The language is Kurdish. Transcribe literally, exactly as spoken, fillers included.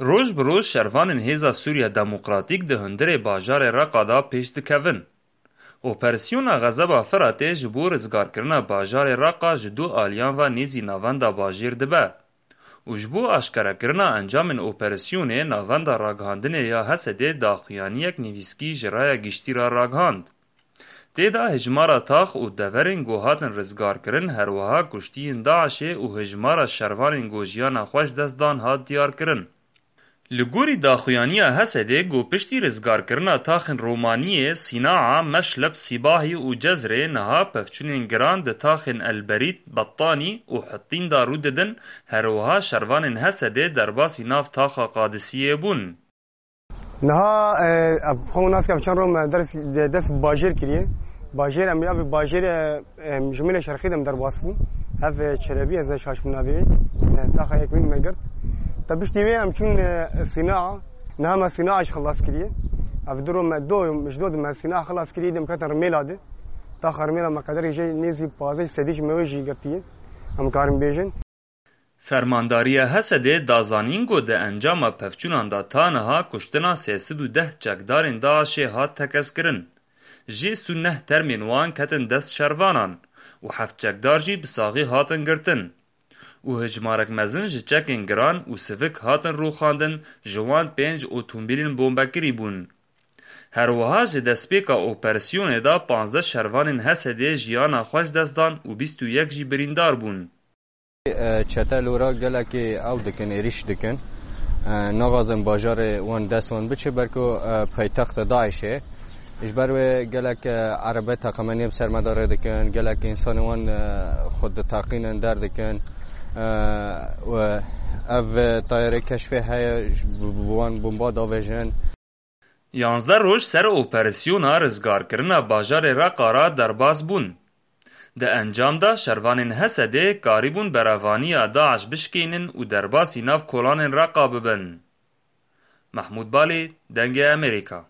Roj bi roj şervanên Hêza Sûriya Demokratîk di hundirê bajarê Reqa de pêş dikevin. Operasyona Xezeba Firatê ji bo rizgarkirina bajarê Reqa ji du aliyan ve nêzî navenda bajêr dibe û ji bo aşkerekirina encamên operasyonê navenda ragihandinê ya Hesedê daxuyaniyek nivîskî ji raya giştî re ragihand. Tê de hejmara tax û deverên ku hatin rizgarkirin, her wiha kuştiyên DAIŞê û hejmara şervanên ku jiyana xwe ji dest dan hat diyarkirin. Li gorî daxuyaniya Hesedê ku piştî rizgarkirina taxên Romaniyê, Sînaa, Meşleb, Sîbahî û Cezrê niha pevçûnên giran di taxên El Berît, Bettanî û Hittîn de rû didin, her wiha şervanên Hesedê derbasî nav taxa Qadisiyê bûn. Niha, e, ev xwe nas ke çend roj me ders, de, dest bajêr kiriye. Bajêr em ya vê bajêr, e, em ji Mêlê Şerqî de em derbas bûn. Hev, e, Çelebî, ez ne şaş bûm navê wê. E, taxa yekmîn me girt. Te piştî wê em çûn, e, Sînaa. Niha me Sînaa jî xilas kiriye. Ev du roj me do, ji do de me Sînaa xilas kiriye, dem ketin Rimêla de. Taxa Rimêla me qederê jê nêzî pazdeh sedî ji me wê jî girtiye. Em karin bêjin. Fermandariya Hesedê da zanîn ku di encama pevçûnan de ta niha kuştina sê sed û deh çekdarên DAIŞê hat tekezkirin. Jê sî û neh termên wan ketin dest şervanan û heft çekdar jî bi saxî hatin girtin. Û hejmarek mezin ji çekên giran û sivik hatin rûxandin, ji wan pênc otomobîlên bombekirî bûn. Her wiha ji destpêka operasyonê de panzdeh şervanên Hesedê jiyana xwe ji dest dan û bîst û yek jî birîndar bûn. E, çete lora gelekî ew dikin, êrîş dikin. E, naxwazin bajarê wan dest wan biçe, belko, e, paytexta DAIŞê. Ji ber wê gelek, e, erebe teqemeniyê bi ser me de rê dikin, gelek însanê wan, e, xwe diteqînin, derdikin. E, û ev tayarê keşfê heye, ji, bi, bi wan bomba davêjin. Yanzdeh roj ser operasyona rizgarkirina bajarê Reqa re derbas bûn. Di encam de şervanên Hesedê karîbûn berevaniya DAIŞ bişkînin û derbasî nav kolanên Reqa bibin. Mehmûd Balê, Dengê Amerîka.